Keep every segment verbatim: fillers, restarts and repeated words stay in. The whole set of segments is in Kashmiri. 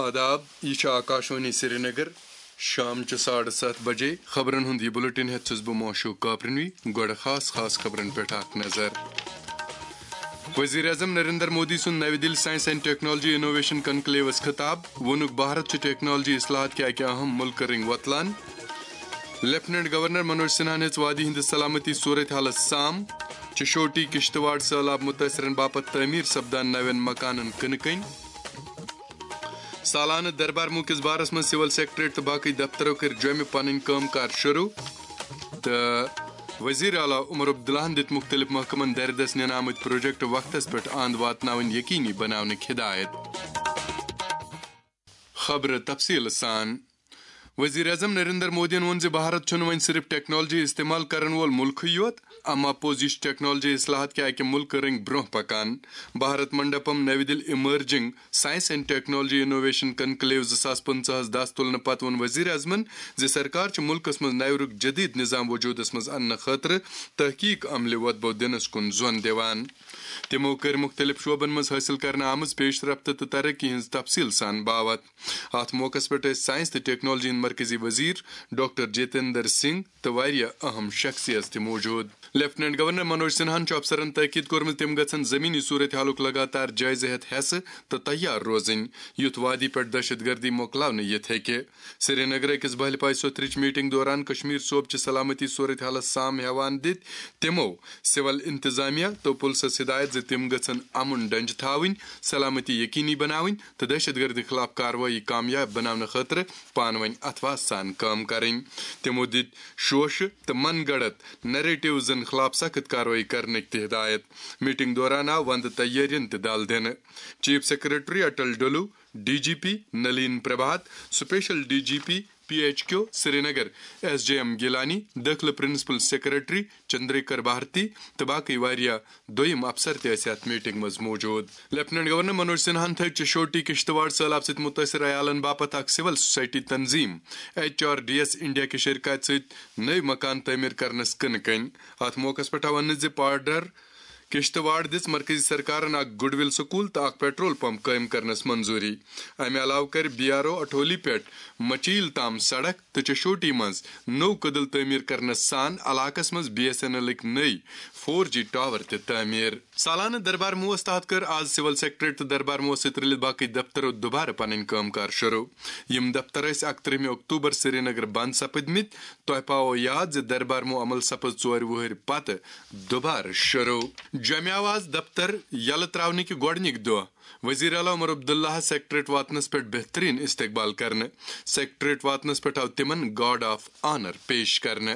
آداب، یہِ چھُ آکاشوانی سرینگر۔ شام چہِ ساڑٕ ستھ بجے خبرن ہُنٛد یہِ بُلٹن ہٮ۪تھ چھُس بہٕ موشوق کاپرنوی۔ گۄڈٕ خاص خاص خبرن پٮ۪ٹھ اکھ نظر۔ وزیر اعظم نریندر مودی سُنٛد نَوِ دِلہِ ساینس اینڈ ٹیکنالوجی انوویشن کنکلیوس خطاب، ووٚنُکھ بھارت چھُ ٹیکنالوجی اصلاحات کہِ اکہِ اہم مُلکہٕ رٔنٛگۍ وۄتلان۔ لیفٹیننٹ گورنر منوج سنہاہن ہیٚژ وادی ہٕنٛدِس سلامتی صورت حالس سام، چشوٹی کشتواڑ سٔہلاب مُتٲثرن باپتھ تعمیٖر سپدان نوٮ۪ن مکانن کٕنہٕ کٔنۍ۔ سالانہٕ دربار موٗ کِس بارس منٛز سول سیکرٹریٹ تہٕ باقٕے دفترو کٔرۍ جوٚمہِ پنٕنۍ کٲم کار شروع۔ تہٕ وزیر اعلیٰ عمر عبداللہن دِتۍ مُختٔلِف محکمن دردس نِنہٕ آمٕتۍ پروجیکٹ وقتس پٮ۪ٹھ اند واتناوٕنۍ یقینی بناونٕکۍ ہدایت۔ خبرٕ تفصیٖل سان۔ وزیر اعظم نریندر مودیَن ووٚن زِ بھارت چھُنہٕ وۄنۍ صرف ٹیکنالوجی استعمال کرن وول مُلکٕے یوت، اما پوٚز یہِ چھُ ٹیکنالوجی اصلاحات کہِ اکہِ مُلکہٕ رٔنٛگۍ برٛونٛہہ پکان۔ بھارت منڈپم نَوِ دِلہِ emerging science and technology innovation conclave زٕ ساس پٕنٛژٕہَس دَس تُلنہٕ پتہٕ ووٚن وزیر اعظمن زِ سرکار چھِ مُلکس منٛز نوِ رُک جدید نظام وجودس منٛز اننہٕ خٲطرٕ تحقیق عملہِ وۄدبو دِنس کُن زۄن دِوان۔ تِمو کٔرۍ مُختٔلِف شعبن منٛز حٲصِل کرنہٕ آمٕژ پیش رفت تہٕ ترقی ہٕنٛز تفصیٖل سان باوتھ۔ اتھ موقعس پٮ۪ٹھ ٲسۍ ساینس تہٕ ٹیکنالوجی ہٕنٛدۍ مرکزی وزیر ڈاکٹر جتیندر سنگھ تہٕ واریاہ اہم شخصیت تہِ موجود۔ لیفٹیننٹ گورنر منوج سنہاہن چھُ افسرن تاکید کوٚرمُت، تِم گژھن زمینی صورت حالُک لگاتار جٲیزٕ ہٮ۪تھ حٮ۪سہٕ تہٕ تیار روزٕنۍ، یُتھ وادی پٮ۪ٹھ دہشت گردی مۄکلاونہٕ یِتھ ہیٚکہِ۔ سرینگرٕ أکِس بہلہِ پایہِ سوٚتھرٕچ میٹنگ دوران کشمیر صوبہٕ چہِ سلامتی صورت حالس سام ہیوان دِتۍ تِمو سول انتظامیہ تہٕ پُلسس ہدایت زِ تِم گژھن امُن ڈنجہِ تھاوٕنۍ، سلامتی یقینی بناوٕنۍ تہٕ دہشت گردی خلاف کاروٲیی کامیاب بناونہٕ خٲطرٕ پانہٕ ؤنۍ اتھواس سان کٲم کرٕنۍ۔ تِمو دِتۍ شوشہٕ تہٕ من گڑت نیریٹیوزن خلاف سخت کاروٲیی کرنٕکۍ تہِ ہدایت۔ میٹنگ دوران آو وندٕ تیٲرین تہِ دل دِنہٕ۔ Chief secretary Atal Dulloo, D G P Nalin Prabhat, special D G P P H Q Srinagar, S J M Gilani, دٲخلہٕ پرنسپل سیکرٹری چندریکر بھارتی تہٕ باقٕے واریاہ دوٚیِم افسر تہِ ٲسۍ اتھ میٹنگ منٛز موجود۔ لیفٹیننٹ گورنر منوج سنہاہن تھٲوۍ چشوٹی کشتواڑ سٔہلاب سۭتۍ مُتٲثر عیالن باپتھ اکھ سول سوسائٹی تنظیم، H R D S India کہِ شرکت سۭتۍ نٔوۍ مکان تعمیٖر کرنس کٕنہٕ کٔنۍ۔ اتھ موقعس پٮ۪ٹھ آو وننہٕ زِ پارڈر کشتواڑ دِژ مرکزی سرکارن اکھ گڈ ول سکول تہٕ اکھ پیٹرول پمپ قٲیِم کرنس منظوٗری۔ امہِ علاوٕ کٔر بی آر او اٹھولی پٮ۪ٹھ مچیل تام سڑک تہٕ چشوٹی منٛز نوٚو کٔدٕل تعمیٖر کرنس سان علاقس منٛز بی ایس این ایلٕکۍ نٔوۍ فور جی ٹاور تہِ تعمیٖر۔ سالانہٕ دربار موس تحت کٔر آز سول سیکرٹریٹ تہٕ دربار موس سۭتۍ رٔلِتھ باقٕے دفترو دُبارٕ پنٕنۍ کٲم کار شروع۔ یِم دفتر ٲسۍ اکترٕہمہِ اکتوبر سرینگر بند سپٕدمٕتۍ۔ تۄہہِ پاوو یاد زِ دربار مو عمل سپٕز ژورِ وُہٕرۍ پتہٕ دُبارٕ شروع۔ جامعہ آواز دفتر یلہٕ تراونٕکہِ گۄڈٕنِکۍ دۄہ وزیر اعلیٰ عمر عبداللہ سیکرٹریٹ واتنس پٮ۪ٹھ بہترین استقبال کرنہٕ۔ سیکرٹریٹ واتنس پٮ۪ٹھ آو تِمن گارڈ آف آنر پیش کرنہٕ۔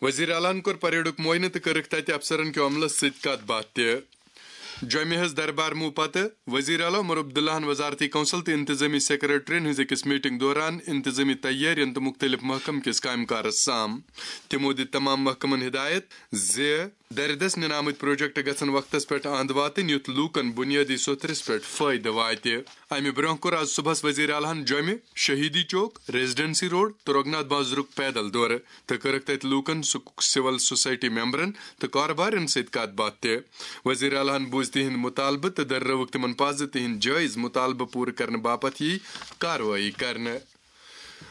وزیر اعلیٰ ہن کوٚر پریڈُک معائنہٕ تہٕ کٔرٕکھ تتہِ افسرن کیو عملس سۭتۍ کتھ باتھ تہِ۔ جوٚمہِ ہٕنٛز دربار مُو پتہٕ وزیر اعلیٰ عمر عبداللہ ہن وزارتی کونسل تہٕ انتظامی سیکرٹرین ہٕنٛز أکِس میٹنگ دوران انتظامی تیٲرین تہٕ مُختٔلِف محکمہٕ کِس کامہِ کارس سام۔ تِمو دِتۍ تمام محکمن ہدایت زِ دردس نِنہٕ آمٕتۍ پروجیکٹ گژھن وقتس پٮ۪ٹھ اند واتٕنۍ، یُتھ لوٗکن بُنیٲدی سوٚتھرِس پٮ۪ٹھ فٲیدٕ واتہِ۔ امہِ برونٛہہ کوٚر آز صبحس وزیر اعلیٰ ہن جوٚمہِ، شہیدی چوک، ریزیڈنسی روڈ تہٕ رگھناتھ بازرُک پیدل دورٕ تہٕ کٔرٕکھ تتہِ لوٗکن، سک-، سول سوسائٹی ممبرن تہٕ کارٕبارین سۭتۍ کتھ باتھ تہِ۔ وزیر اعلیٰ ہن بوٗز تِہنٛدۍ مُطالبہٕ تہٕ دٔررٲوٕکھ تِمن پَزِ تِہنٛدۍ جٲیز مُطالبہٕ پوٗرٕ کرنہٕ باپتھ یی کاروٲیی کرنہٕ۔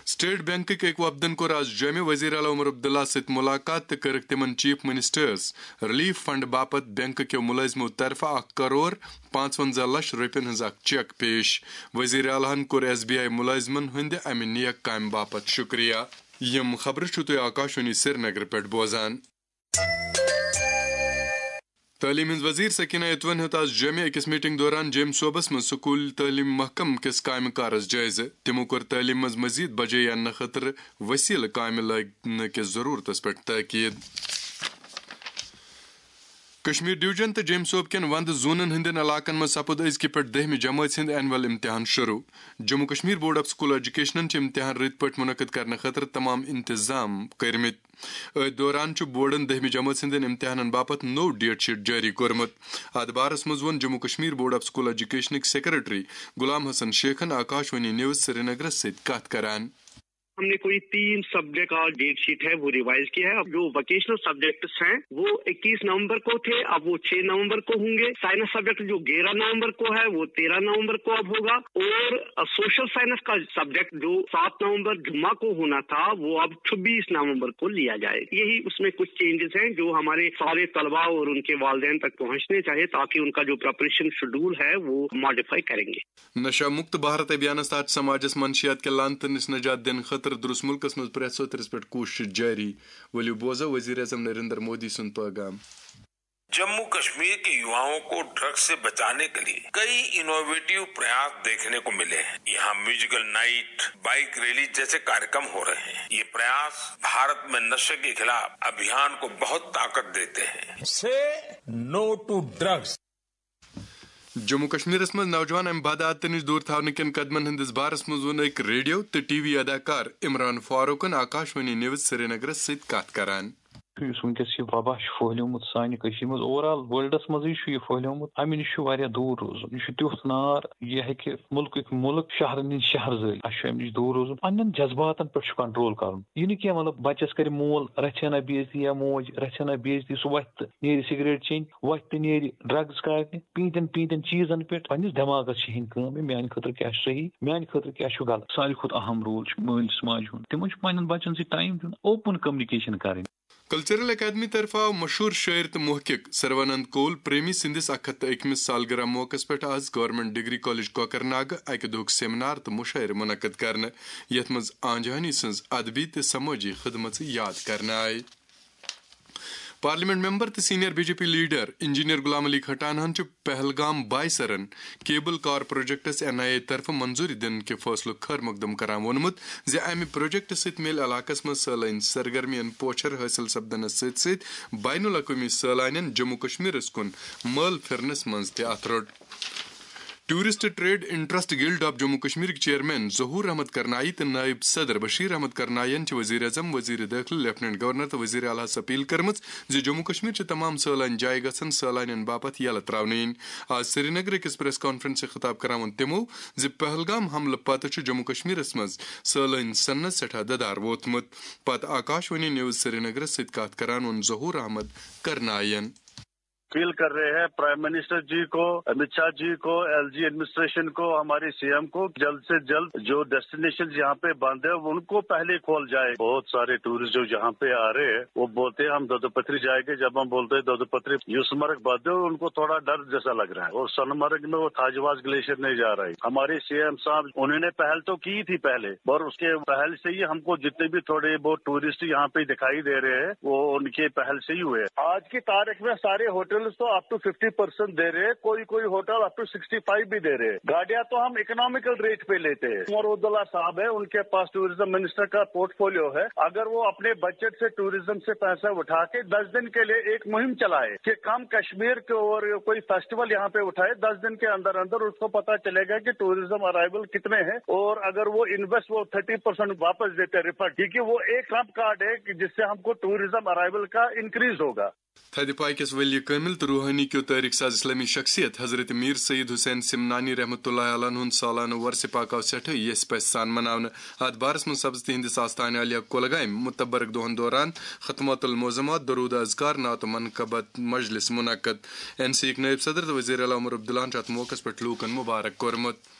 اسٹیٹ بینکٕکۍ أکۍ وفدن کوٚر آز جوٚمہِ وزیر اعلیٰ عمر عبداللہ سۭتۍ مُلاقات تہٕ کٔرٕکھ تِمن چیف منسٹرز ریلیف فنڈ باپتھ بینک کیو مُلٲزمو طرفہٕ اکھ کرور پانٛژونٛزاہ لچھ رۄپین ہٕنٛز اکھ چیک پیش۔ وزیر اعلیٰ ہن کوٚر ایس بی آئی مُلٲزمن ہٕنٛدِ امہِ نیک کامہِ باپتھ شُکریہ۔ یِم خبرٕ چھِو تُہۍ آکاشوانی سرینگرٕ پٮ۪ٹھ بوزان۔ تعلیٖم ہٕنٛز وزیر سکینہ اتوَن ہیوٚت آز جوٚمہِ أکِس میٹنگ دوران جوٚمہِ صوبس منٛز سکوٗل تعلیٖم محکمہٕ کِس کامہِ کارس جٲیزٕ۔ تِمو کوٚر تعلیٖم منٛز مزید بجے اننہٕ خٲطرٕ وسیلہٕ کامہِ لٲگنہٕ کِس ضروٗرتس پٮ۪ٹھ تاکید۔ کشمیر ڈویژن تہٕ جوٚمہِ صوبہٕ کٮ۪ن وندٕ زونن ہٕنٛدٮ۪ن علاقن منٛز سپُد أزکہِ پٮ۪ٹھ دٔہمہِ جمٲژ ہُنٛد اینول امتحان شروع۔ Jammu Kashmir board of school ایجوکیشنن چھِ امتحان رٕتۍ پٲٹھۍ منعقد کرنہٕ خٲطرٕ تمام انتظام کٔرمٕتۍ۔ أتھۍ دوران چھُ بورڈن دٔہمہِ جمٲژ ہٕنٛدٮ۪ن امتحانن باپتھ نوٚو ڈیٹ شیٹ جٲری کوٚرمُت۔ اتھ بارس منٛز ووٚن Jammu Kashmir board of school ایجوکیشنٕکۍ سیکرٹری غلام حسن شیخن آکاشوانی نیوز سرینگرس سۭتۍ کتھ کران۔ हमने कोई तीन सब्जेक्ट का डेट शीट है, वो रिवाइज किया है। अब जो वोकेशनल सब्जेक्ट्स हैं, वो इक्कीस नवंबर को थे, अब वो छह नवंबर को होंगे। साइंस सब्जेक्ट जो ग्यारह नवंबर को है, वो तेरह नवंबर को अब होगा। और सोशल साइंस का सब्जेक्ट जो सात नवंबर जुम्मा को होना था, वो अब छब्बीस नवंबर को लिया जाए। यही उसमें कुछ चेंजेस हैं जो हमारे सारे तलबा और उनके वालदेन तक पहुंचने चाहिए, ताकि उनका जो प्रिपरेशन शेड्यूल है, वो मॉडिफाई करेंगे। نشہ مکت بھارت ابھیانس تحت سماجس منشیات کہِ لعنتہٕ نِش نجات دِنہٕ خٲطرٕ درٛوس مُلکس منٛز پرٛٮ۪تھ سطرس پٮ۪ٹھ کوٗشش جٲری۔ ؤلِو بوزو وزیر اعظم نریندر مودی سُنٛد پٲغام۔ जम्मू कश्मीर के युवाओं को ड्रग्स से बचाने के लिए कई इनोवेटिव प्रयास देखने को मिले हैं। यहाँ म्यूजिकल नाइट, बाइक रैली जैसे कार्यक्रम हो रहे हैं। ये प्रयास भारत में नशे के खिलाफ अभियान को बहुत ताकत देते हैं। Say no to drugs. Jammu کشمیرس منٛز نوجوان امہِ بدعاتہٕ نِش دوٗر تھاونہٕ کٮ۪ن قدمن ہٕنٛدِس بارس منٛز ووٚن أکۍ ریڈیو تہٕ ٹی وی اداکار عمران فاروقن آکاشوانی نیوز سرینگرس سۭتۍ کتھ کران۔ یُس وٕنکیٚس یہِ وبا چھُ پھٔہلیومُت سانہِ کٔشیٖرِ منٛز، اوور آل ورلڈس منٛزٕے چھُ یہِ پھٔہلیومُت، امہِ نِش چھُ واریاہ دوٗر روزُن۔ یہِ چھُ تیُتھ نار، یہِ ہیٚکہِ مُلکٕکۍ مُلک، شہرن ہٕنٛدۍ شہر زٲلِتھ۔ اسہِ چھُ امہِ نِش دوٗر روزُن، پننٮ۪ن جذباتن پٮ۪ٹھ چھُ کنٹرول کرُن۔ یہِ نہٕ کینٛہہ، مطلب، بچس کرِ مول رژھِ ہنا بے عزتی یا موج رژھِ ہنا بے عزتی، سُہ وۄتھِ تہٕ نیرِ سگریٹ چیٚنۍ، وۄتھِ تہٕ نیرِ ڈرگز کارنہِ، پیٖنتٮ۪ن پیٖنتٮ۪ن چیٖزن پٮ۪ٹھ۔ پننِس دٮ۪ماغس چھِ ہیٚنۍ کٲم، یہِ میانہِ خٲطرٕ کیٛاہ چھُ صحیح، میانہِ خٲطرٕ کیٛاہ چھُ غلط۔ ساروی کھۄتہٕ اہم رول چھُ مٲلِس ماجہِ ہُنٛد، تِمن چھُ پننٮ۪ن بچن سۭتۍ ٹایم دیُن، اوپن کمیونیکیشن کرٕنۍ۔ کلچرل اکیڈمی طرفہٕ آو مشہوٗر شٲعر تہٕ محقق سروانند کول پریمی سٕنٛدِس اکھ ہتھ تہٕ أکمِس سالگرہ موقعس پٮ۪ٹھ آز گورنمنٹ ڈگری کالج کوکرناگہٕ اکہِ دۄہُک سیمینار تہٕ مشاعرٕ منعقد کرنہٕ، یتھ منٛز آنجہانی سٕنٛز ادبی تہٕ سمٲجی خدمژٕ یاد کرنہٕ آیہِ۔ پارلیمنٹ ممبر تہٕ senior B J P leader engineer Ghulam Ali کھٹانہن چھُ پہلگام بایسرن کیبل کار پروجیکٹس این آئی اے طرفہٕ منظوری دِنہٕ کہِ فٲصلُک خٲر مقدم کران ووٚنمُت زِ امہِ پروجیکٹہٕ سۭتۍ میلہِ علاقس منٛز سٲلٲنۍ سرگرمین پوچھر حٲصِل سپدنس سۭتۍ سۭتۍ بین الاقوٲمی سٲلانین جموں کشمیرس کُن مٲل پھِرنس منٛز تہِ اتھٕ رۄٹ۔ Tourist trade interest guild of Jammu کشمیرٕکۍ چیئرمین ظہور احمد کرنائی تہٕ نائب صدر بشیر احمد کرنائین چھِ وزیر اعظم، وزیر دٲخلہٕ، لیفٹیننٹ گورنر تہٕ وزیر اعلیٰ ہس اپیل کٔرمٕژ زِ جموں کشمیر چہِ تمام سٲلٲنۍ جایہِ گژھن سٲلانین باپتھ یلہٕ تراونہٕ یِنۍ۔ آز سرینگر أکِس پریس کانفرنسہِ خطاب کران ووٚن تِمو زِ پہلگام حملہٕ پتہٕ چھُ جموں کشمیرس منٛز سٲلٲنۍ سننس سٮ۪ٹھاہ ددار ووتمُت۔ پتہٕ آکاشوانی نیوز سرینگرس سۭتۍ کتھ کران ووٚن ظہور احمد کرنائین۔ اپیل کر رہے ہیں پرائم منسٹر جی کو، امت شاہ جی کو، ایل جی ایڈمنسٹریشن کو، ہمارے سی ایم کو، جلد سے جلد جو ڈیسٹینیشن یہاں پہ بند ہے ان کو پہلے کھول جائے۔ بہت سارے ٹورسٹ جو یہاں پہ آ رہے ہیں وہ بولتے ہیں ہم دودو پتھری جائیں گے، جب ہم بولتے ہیں دودو پتھری یوسمرگ بند ہے ان کو تھوڑا ڈر جیسا لگ رہا ہے، اور سونمرگ میں وہ تھاجواز گلیشیئر نہیں جا رہا ہے۔ ہمارے سی ایم صاحب انہوں نے پہل تو کی تھی پہلے، اور اس کے پہل سے ہی ہم کو جتنے بھی تھوڑے بہت ٹورسٹ یہاں پہ دکھائی دے رہے ہیں وہ ان کے پہل سے ہی ہوئے ہیں۔ آج کی تاریخ میں سارے ہوٹلز تو اپ ٹو ففٹی پرسینٹ دے رہے ہیں، کوئی کوئی hotel up to sixty five بھی دے رہے ہیں۔ گاڑیاں تو ہم اکنامیکل ریٹ پہ لیتے ہیں۔ عمر عبداللہ صاحب ہے، ان کے پاس ٹورازم منسٹر کا پورٹ فولیو ہے، اگر وہ اپنے بجٹ سے ٹورازم سے پیسہ اٹھا کے دس دن کے لیے ایک مہم چلائے کہ کم کشمیر کے اور کوئی فیسٹیول یہاں پہ اٹھائے، دس دن کے اندر اندر اس کو پتا چلے گا کہ ٹورازم ارائیول کتنے ہیں، اور اگر وہ انویسٹ وہ تھرٹی پرسینٹ واپس دیتے ہیں ریفنڈ، کیونکہ وہ ایک ٹرمپ کارڈ ہے کہ جس سے ہم کو ٹورازم ارائیول کا انکریز ہوگا۔ تھدِ پایہِ کِس ؤلِیہِ کٲمِل تہٕ روحٲنی کیو تٲریخ ساز اسلٲمی شخصیت حضرت میر سید حسین سمنانی رحمتہ اللہ علیہ ہُنٛد سالانہٕ ورثہِ پاک آو سٮ۪ٹھٕے یژھِ پژھِ سان مناونہٕ۔ اتھ بارس منٛز سپز تِہنٛدِس آستانہِ عالیہ کۄلگامہِ متبرک دۄہن دوران ختمات المعظمات، درود اذکار، نعت و منقبت مجلس منعقد۔ این سی یُک نٲیِب صدر تہٕ وزیر اعلیٰ عمر عبداللہن چھُ اتھ موقعس پٮ۪ٹھ لوٗکن مبارک کوٚرمُت۔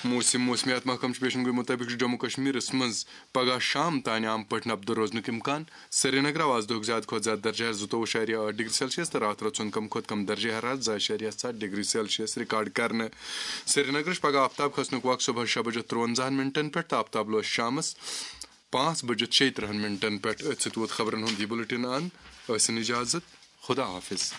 موسم، موسمیات محکمہٕ چہِ پیشن گوئی مُطٲبِق چھُ جموں کشمیرس منٛز پگہہ شام تام عام پٲٹھۍ نبدٕ روزنُک امکان۔ سرینگر آو آز دۄہُک زیادٕ کھۄتہٕ زیادٕ درجہٕ حرارت زٕتووُہ اعشاریہ ٲٹھ ڈگری سیلسیس تہٕ راتھ رٲژ ہُنٛد کم کھۄتہٕ کم درجہٕ حرارت زٕ اعشاریہ ستھ ڈگری سیلسیس ریکارڈ کرنہٕ۔ سرینگرٕ چھُ پگہہ آفتاب کھسنُک وق صبحس شےٚ بجہِ ترٛونزاہن منٹن پٮ۪ٹھ تہٕ آفتاب لوس شامس پانٛژھ بجہِ شیٚیہِ ترٕٛہن منٹن پٮ۪ٹھ۔ أتھۍ سۭتۍ ووت خبرن ہُنٛد یہِ بُلٹن اند۔ ٲسِن اجازت۔ خدا حافظ۔